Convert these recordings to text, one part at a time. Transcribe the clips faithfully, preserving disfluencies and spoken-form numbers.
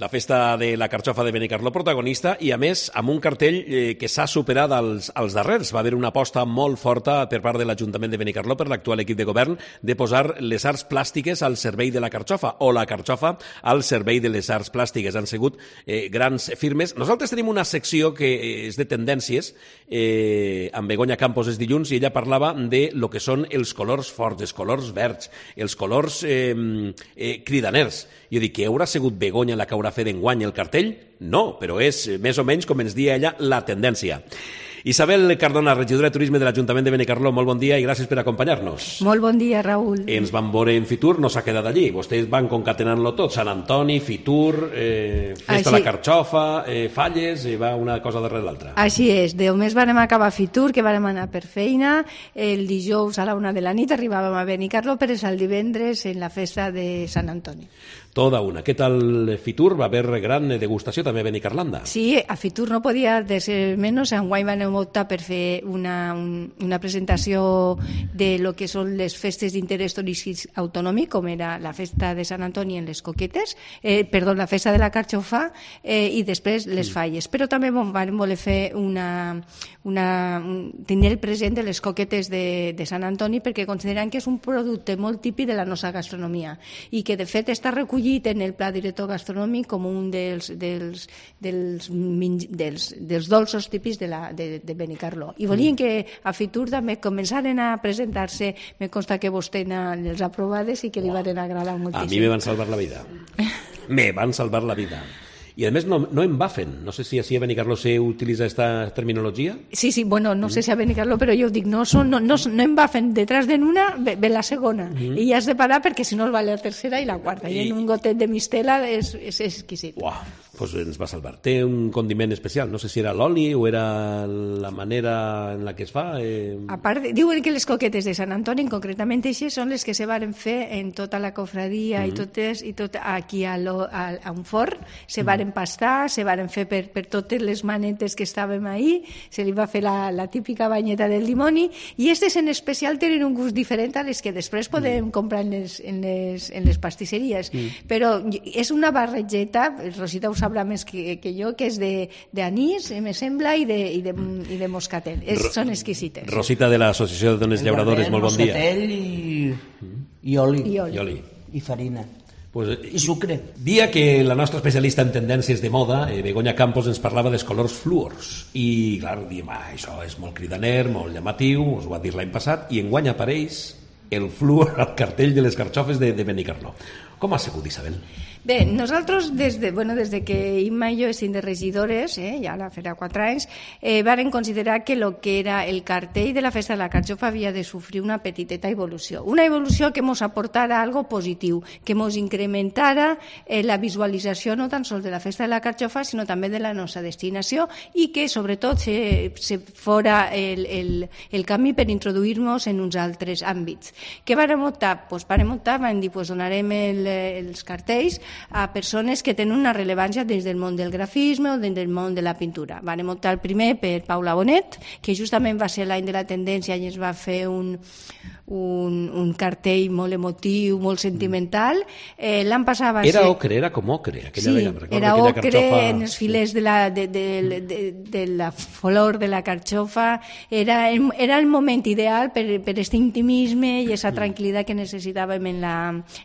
La festa de la carxofa de Benicarló protagonista i, a més, amb un cartell eh, que s'ha superat als, als darrers. Va haver una aposta molt forta per part de l'Ajuntament de Benicarló, per l'actual equip de govern, de posar les arts plàstiques al servei de la carxofa o la carxofa al servei de les arts plàstiques. Han sigut eh, grans firmes. Nosaltres tenim una secció que és de tendències, eh, amb Begoña Campos és dilluns, i ella parlava de lo que són els colors forts, els colors verds, els colors eh, eh, cridaners. Jo dic, que haurà sigut Begoña la que haurà fet enguany el cartell? No, però és més o menys, com ens dia ella, la tendència. Isabel Cardona, regidora de Turisme de l'Ajuntament de Benicarló, molt bon dia i gràcies per acompanyar-nos. Molt bon dia, Raül. Ens van veure en Fitur, no s'ha quedat allí. Vostès van concatenant-lo tot, Sant Antoni, Fitur, eh, Festa de la Carxofa, eh, Falles, i va una cosa darrere l'altra. Així és, només vam acabar a Fitur, que vam anar per feina, el dijous a la una de la nit arribàvem a Benicarló, per el divendres en la festa de Sant Antoni. Toda una. Què tal Fitur? Va haver gran degustació també a Benicarlanda. Sí, a Fitur no podia de ser menys. Enguany van optar per fer una, un, una presentació de lo que són les festes d'interès turístic autonòmic, com era la festa de Sant Antoni en les Coquetes, eh, perdó, la festa de la Carxofa, eh, i després les Falles. Però també vam voler fer una, una, un, tenir el present de les Coquetes de, de Sant Antoni, perquè consideren que és un producte molt típic de la nostra gastronomia i que de fet està recollit en el pla director gastronòmic com un dels, dels, dels, dels, dels dolços típics de, la, de, de Benicarló. I volien que a Fitur també començaren a presentar-se, me consta que vostè les aprovades i que li van agradar moltíssim. A mi me van salvar la vida. Me van salvar la vida. I, a més, no, no embafen. No sé si així a Benicarló se utilitza esta terminologia. Sí, sí, bueno, no mm. sé si a Benicarló, però jo dic, no, son, no, no, no embafen. Detrás de una ve, ve la segona. Mm. I has de parar perquè si no es va la tercera i la quarta. I, I en un gotet de mistela és, és exquisit. Uau, doncs ens va salvar. Té un condiment especial. No sé si era l'oli o era la manera en la que es fa. Eh... A part, diuen que les coquetes de Sant Antoni, concretament així, són les que se varen fer en tota la cofradia mm. i totes, i tot aquí a, lo, a, a un forn. Se varen pastar, se varen fer per, per totes les manetes que estàvem ahí, se li va fer la, la típica banyeta del dimoni, i aquestes en especial tenen un gust diferent a les que després podem mm. comprar en les, en les, en les pastisseries. Mm. Però és una barrejeta, Rosita ho sabrà més que, que jo, que és d'anís, me sembla, i de, i de, i de moscatel. És, Ro són exquisites. Rosita de l'Associació de Dones Llauradores, molt bon dia. Moscatel i, i oli. I oli. I oli. I farina. Pues, i sucre. Dia que la nostra especialista en tendències de moda, eh, Begoña Campos, ens parlava dels colors fluors. I, clar, diem, ah, això és molt cridaner, molt llamatiu, us ho ha dit l'any passat, i enguany apareix el fluor al cartell de les carxofes de, de Benicarló. Com ha sigut, Isabel? Bé, nosaltres, des de, bueno, des de que Imma i jo estem de regidores, eh, ja la farà quatre anys, eh, varen considerar que el que era el cartell de la festa de la Carxofa havia de sofrir una petiteta evolució. Una evolució que ens aportara algo positiu, que ens incrementara eh, la visualització no tan sols de la festa de la Carxofa, sinó també de la nostra destinació, i que, sobretot, se, se fora el, el, el camí per introduir-nos en uns altres àmbits. Què vàrem optar? Pues vàrem optar, vam dir, pues donarem el, els cartells a persones que tenen una rellevància des del món del grafisme o des del món de la pintura. Vam optar el primer per Paula Bonet, que justament va ser l'any de la tendència i ens va fer un, un, un cartell molt emotiu, molt sentimental. Eh, L'any passat va era ser... ocre, era com ocre. Sí, era ocre carxofa... en els filers de la, de, de, de, de la flor de la carxofa. Era, era el moment ideal per, per aquest intimisme i aquesta tranquil·litat que necessitàvem en, la,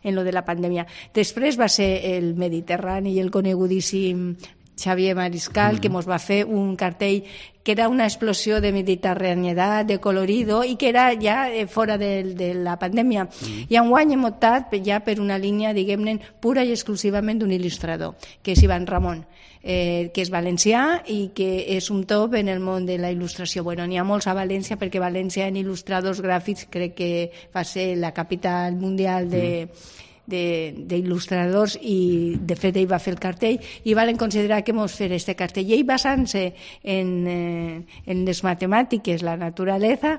en lo de la pandèmia. Després va ser el Mediterrani i el conegudíssim Xavier Mariscal, mm. que ens va fer un cartell que era una explosió de mediterraneïtat, de colorido, i que era ja fora de, de la pandèmia. Mm. I enguany hem optat ja per una línia, diguem-ne, pura i exclusivament d'un il·lustrador, que és Ivan Ramon, eh, que és valencià i que és un top en el món de la il·lustració. Bueno, n'hi ha molts a València, perquè València en il·lustradors gràfics crec que va ser la capital mundial de... Mm. d'il·lustradors, i de fet ell va fer el cartell i van considerar que mos fer este cartell, i ell basant-se en, eh, en les matemàtiques, la naturalesa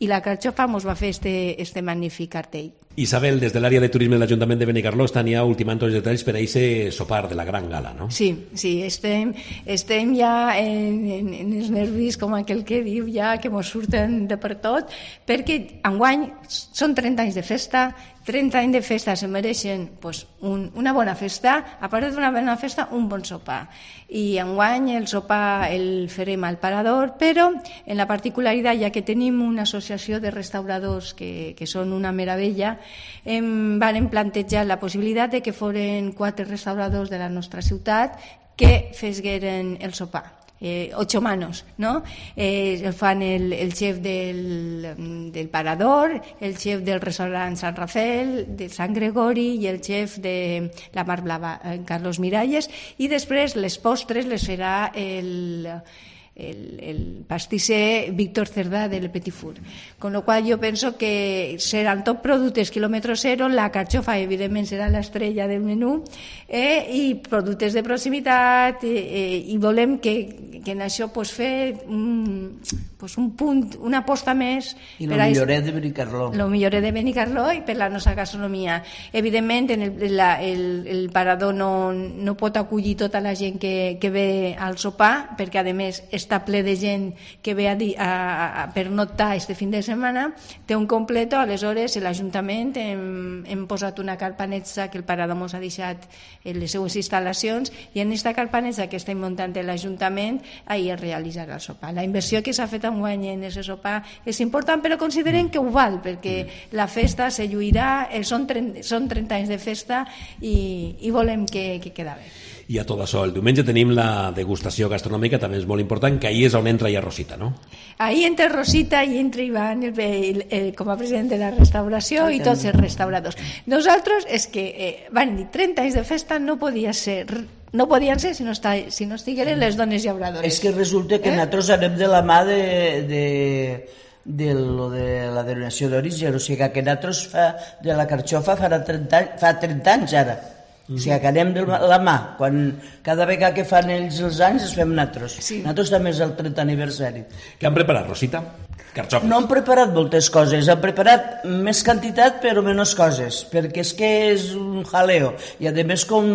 i la carxofa, mos va fer este, este magnífic cartell. Isabel, des de l'àrea de turisme de l'Ajuntament de Benicarló estan ja ultimant tots els detalls per a aquest sopar de la gran gala, no? Sí, sí, estem, estem ja en, en, en els nervis, com aquell que diu ja, que mos surten de per tot, perquè enguany són trenta anys de festa, trenta anys de festa se mereixen pues, un, una bona festa, a part d'una bona festa, un bon sopar. I enguany el sopar el farem al Parador, però en la particularitat, ja que tenim una associació de restauradors que, que són una meravella, em van plantejar la possibilitat de que foren quatre restauradors de la nostra ciutat que fesgueren el sopar. Eh, ocho manos, ¿no? Eh, fan el, el chef del, del Parador, el chef del restaurant San Rafael, de Sant Gregori i el chef de la Mar Blava, Carlos Miralles, i després les postres les farà el... El, el pastisser Víctor Cerdà de Le Petit Four. Con lo cual yo penso que seran top productes quilòmetre zero, la carxofa evidentment serà l'estrella del menú, eh, i productes de proximitat, eh, i volem que, que en això pues, fer un, pues, un punt, una aposta més. I lo milloret de Benicarló. Lo milloret de Benicarló i per la nostra gastronomia. Evidentment, en el, la, el, el Parador no, no pot acollir tota la gent que, que ve al sopar, perquè a més està ple de gent que ve a, a, a pernoctar este fin de setmana, té un completo, aleshores l'Ajuntament hem, hem posat una carpanetza que el Parador mos ha deixat en les seues instal·lacions, i en aquesta carpanetza que estem muntant l'Ajuntament, ahir es realitzarà el sopar. La inversió que s'ha fet enguany en aquest sopar és important, però considerem que ho val, perquè la festa se lluirà, són trenta, són trenta anys de festa i, i volem que, que queda bé. I a tot això, el diumenge tenim la degustació gastronòmica, també és molt important, que ahir és on entra ja Rosita, no? Ahir entra Rosita i entra Ivan el, el, el, com a president de la restauració i tots els restauradors. Nosaltres és que eh, van dir trenta anys de festa no podia ser... No podien ser si no, està, si no estigueren les dones llauradores. És que resulta que eh? nosaltres anem de la mà de, de, de, lo de la denominació d'origen, o sigui que nosaltres fa, de la carxofa farà trenta, fa trenta anys ara. O sigui que anem de la mà, quan cada vegada que fan ells els anys es fem nosaltres. Sí. Nosaltres també és el trentè aniversari. Què han preparat, Rosita? Carxofes. No han preparat moltes coses, han preparat més quantitat però menys coses, perquè és que és un jaleo. I a més com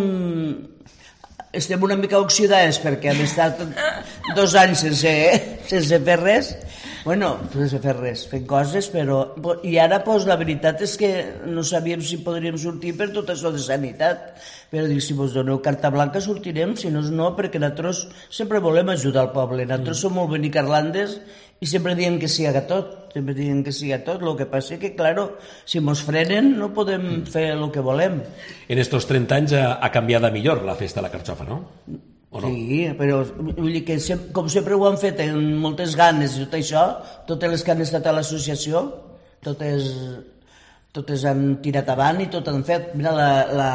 estem una mica oxidades perquè hem estat dos anys sense, sense fer res, bueno, sense fer res, fent coses, però... I ara, pues, la veritat és que no sabíem si podríem sortir per tot això de sanitat, però dic, si vos doneu carta blanca sortirem, si no, no, perquè nosaltres sempre volem ajudar el poble, nosaltres mm. som molt benicarlandes i sempre diem que sí a tot, sempre diem que sí a tot, el que passa que, claro, si mos frenen no podem fer el que volem. En estos trenta anys ha, ha canviat a millor la festa de la carxofa, no? O no? Sí, però vull dir que com sempre ho han fet amb moltes ganes i tot això, totes les que han estat a l'associació, totes, totes han tirat avant i tot han fet. Mira, la, la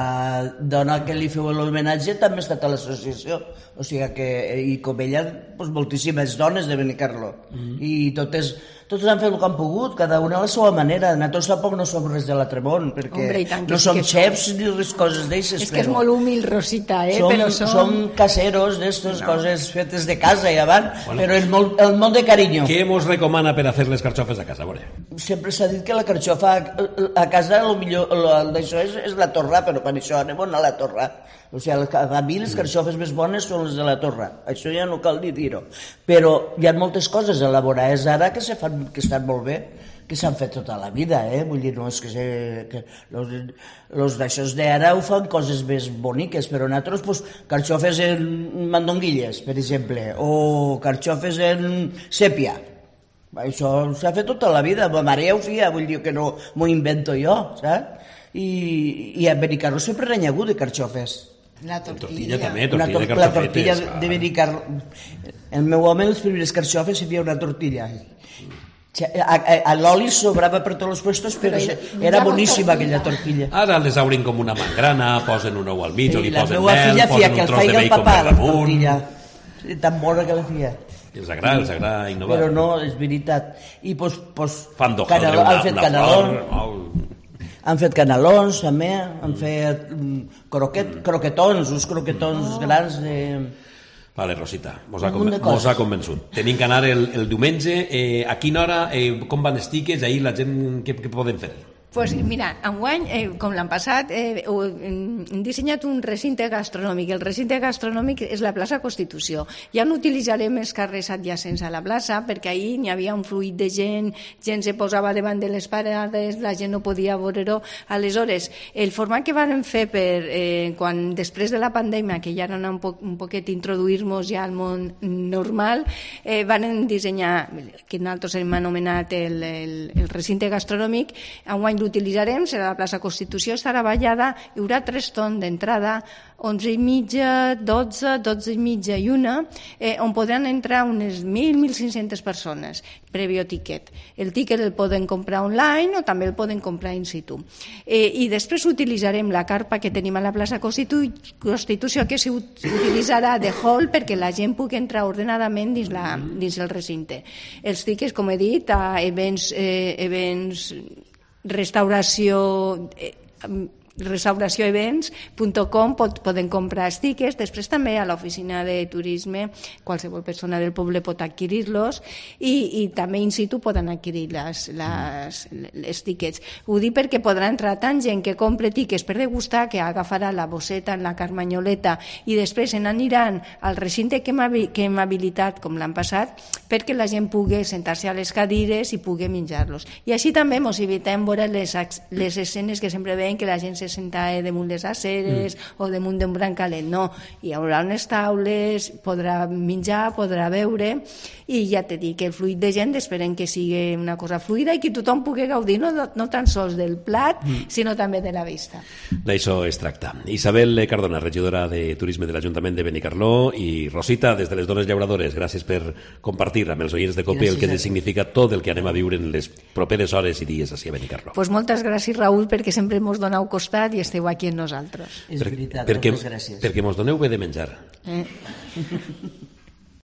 dona que li feu l'homenatge també ha estat a l'associació, o sigui que, i com ella, doncs, moltíssimes dones de Benicarló, mm-hmm. i totes... Tots han fet el que han pogut, cada una a la seva manera. Nosaltres tampoc no som res de l'altre món, perquè Hombre, no som xefs som... ni res coses d'aixes. És que és molt humil, Rosita, eh? Som, però som... som caseros d'estes no. coses fetes de casa i avant, bueno, però és molt, el molt de carinyo. Què mos recomana per a fer les carxofes a casa? Veure. Sempre s'ha dit que la carxofa a casa el millor d'això és, és la torra, però per això anem a la torra. O sigui, a mi les carxofes més bones són les de la torra, això ja no cal ni dir-ho. Però hi ha moltes coses elaborades ara que, se fan, que estan molt bé, que s'han fet tota la vida, eh? Vull dir, no és que, se, que los, los d'aixòs d'ara ho fan coses més boniques, però nosaltres, pues, carxofes en mandonguilles, per exemple, o carxofes en sèpia. Això s'ha fet tota la vida, ma mare ja ho feia, vull dir que no m'ho invento jo, saps? I, i a Benicarló sempre han hagut de carxofes. La tortilla. tortilla també, tortilla to- de carxofetes. La tortilla de Benicarló. El meu home, les primeres carxofes, hi havia una tortilla. A, a, a l'oli sobrava per tots els puestos, però, però era boníssima aquella tortilla. Ara les obrin com una mangrana, posen un ou al mig, sí, o li posen mel, posen un tros de bacon papà, per damunt. Tan bona que la feia. Els agrada, els agrada innovar. Però no, és veritat. I pues, pues, fan d'hojaldre una, han fet una canalón, flor. Han fet canalons també, han fet croquet, croquetons, uns croquetons oh. grans de... Vale, Rosita, mos ha, conven- mos ha convençut. Tenim que anar el, el diumenge. Eh, a quina hora, eh, com van els tiquets? Ahir la gent, què, què poden fer? Pues mira, enguany, eh, com l'any passat, eh, hem dissenyat un recinte gastronòmic. El recinte gastronòmic és la plaça Constitució. Ja no utilitzarem els carrers adjacents a la plaça, perquè ahir n'hi havia un fluid de gent, gent se posava davant de les parades, la gent no podia veure-ho. Aleshores, el format que vam fer per, eh, quan després de la pandèmia, que ja era un, po un poquet introduir-nos ja al món normal, eh, van dissenyar, que nosaltres hem anomenat el, el, el recinte gastronòmic. Enguany l'utilitzarem, serà la plaça Constitució, estarà ballada, hi haurà tres torns d'entrada, onze i mitja, dotze, dotze i mitja i una, eh, on podran entrar unes mil, mil cinc-centes persones, previo tiquet. El tiquet el poden comprar online o també el poden comprar in situ. Eh, I després utilitzarem la carpa que tenim a la plaça Constitu Constitució, que s'utilitzarà de hall perquè la gent pugui entrar ordenadament dins, la, dins el recinte. Els tiquets, com he dit, a events, eh, events restauració eh, restauració events punt com poden comprar els tiquets. Després també a l'oficina de turisme qualsevol persona del poble pot adquirir-los i, i també in situ poden adquirir les, les, les tiquets. Ho dic perquè podrà entrar tant gent que compre tiquets per degustar que agafarà la bosseta en la carmanyoleta i després se n'aniran al recinte que hem, que hem habilitat com l'han passat perquè la gent pugui sentar-se a les cadires i pugui menjar-los. I així també ens evitem veure les, les escenes que sempre veiem que la gent se senta damunt les aceres mm. o damunt d'un brancalet. No, hi haurà unes taules, podrà menjar, podrà beure i ja t'he dit que el fluid de gent esperem que sigui una cosa fluida i que tothom pugui gaudir no, no tan sols del plat mm. sinó també de la vista. D'això es tracta. Isabel Cardona, regidora de Turisme de l'Ajuntament de Benicarló, i Rosita, des de les Dones Llauradores, gràcies per compartir amb els oients de COPE el que significa tot el que anem a viure en les properes hores i dies així a Benicarló. Pues moltes gràcies, Raül, perquè sempre mos doneu costat i esteu aquí amb nosaltres. És veritat, perquè, moltes gràcies. Perquè mos doneu bé de menjar. Eh?